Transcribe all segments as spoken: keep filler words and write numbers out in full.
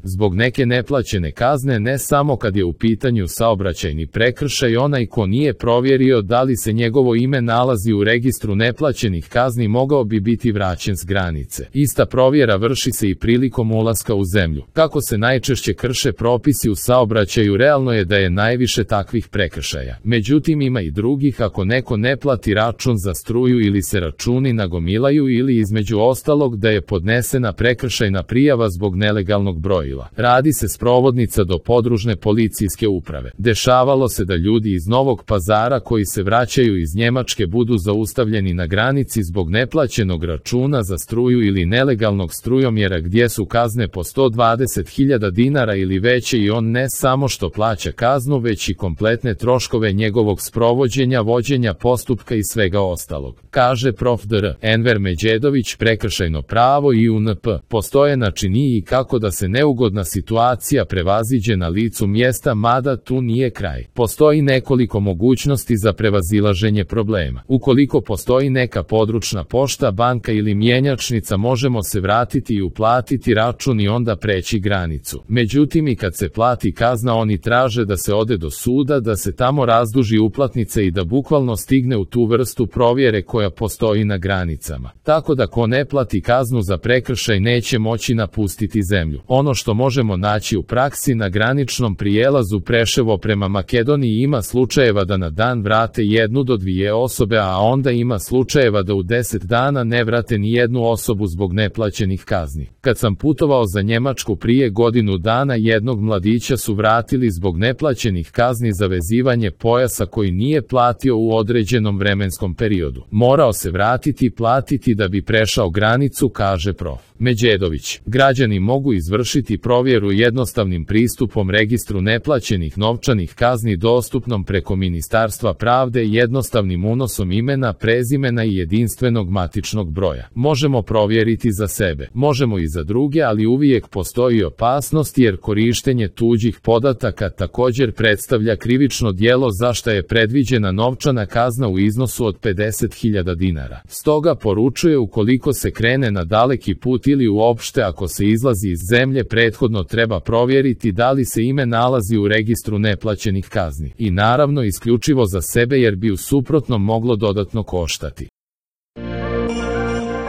Zbog neke neplaćene kazne, ne samo kad je u pitanju saobraćajni prekršaj, onaj ko nije provjerio da li se njegovo ime nalazi u registru neplaćenih kazni mogao bi biti vraćen s granice. Ista provjera vrši se i prilikom ulaska u zemlju. Kako se najčešće krše propisi u saobraćaju, realno je da je najviše takvih prekršaja. Međutim, ima i drugih. Ako neko ne plati račun za struju ili se računi nagomilaju, ili između ostalog da je podnesena prekršajna prijava zbog nelegalnog brojila. Radi se sprovodnica do podružne policijske uprave. Dešavalo se da ljudi iz Novog Pazara koji se vraćaju iz Njemačke budu zaustavljeni na granici zbog neplaćenog računa za struju ili nelegalnog strujomjera gdje su kazne po sto dvadeset hiljada dinara ili veće, i on ne samo što plaća kaznu, već i kompletne troškove njegovog sprovođenja, vođenja postupka i svega ostalog, kaže prof. dr. Enver Međedović, prekršajno pravo i U N P. Postoje načini i kako da se neugodna situacija prevaziđe na licu mjesta, mada tu nije kraj. Postoji nekoliko mogućnosti za prevazilaženje problema. Ukoliko postoji neka područna pošta, banka ili mjenjačnica, možemo se vratiti i uplatiti račun i onda preći granicu. Međutim, i kad se plati kazna, oni traže da se ode do suda, da se tamo razduži uplatnica i da bukvalno stigne u tu vrstu provjere koja postoji na granicama. Tako da ko ne plati kaznu za prekršaj neće moći napustiti zemlju. Ono što možemo naći u praksi na graničnom prijelazu Preševo prema Makedoniji, ima slučajeva da na dan vrate jednu do dvije osobe, a onda ima slučajeva da u deset dana ne vrate ni jednu osobu zbog neplaćenih kazni. Kad sam putovao za Njemačku prije godinu dana, jednog mladića su vratili zbog neplaćenih kazni za vezivanje pojasa koji nije platio u određenom vremenskom periodu. Morao se vratiti i platiti da bi prešao granicu, kaže prof. Međedović. Građani mogu izvršiti provjeru jednostavnim pristupom registru neplaćenih novčanih kazni dostupnom preko Ministarstva pravde, jednostavnim unosom imena, prezimena i jedinstvenog matičnog broja. Možemo provjeriti za sebe, možemo i za druge, ali uvijek postoji opasnost, jer korištenje tuđih podataka također predstavlja krivično djelo za što je predviđena novčana kazna u iznosu od pedeset hiljada dinara. Stoga poručuje, ukoliko se krene na daleki put ili uopšte ako se izlazi iz zemlje, prethodno treba provjeriti da li se ime nalazi u registru neplaćenih kazni. I naravno isključivo za sebe, jer bi u suprotnom moglo dodatno koštati.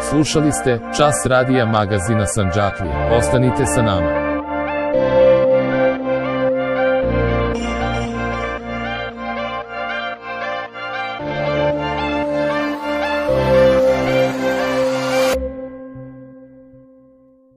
Slušali ste Čas radija magazina Sandžaklija. Ostanite sa nama.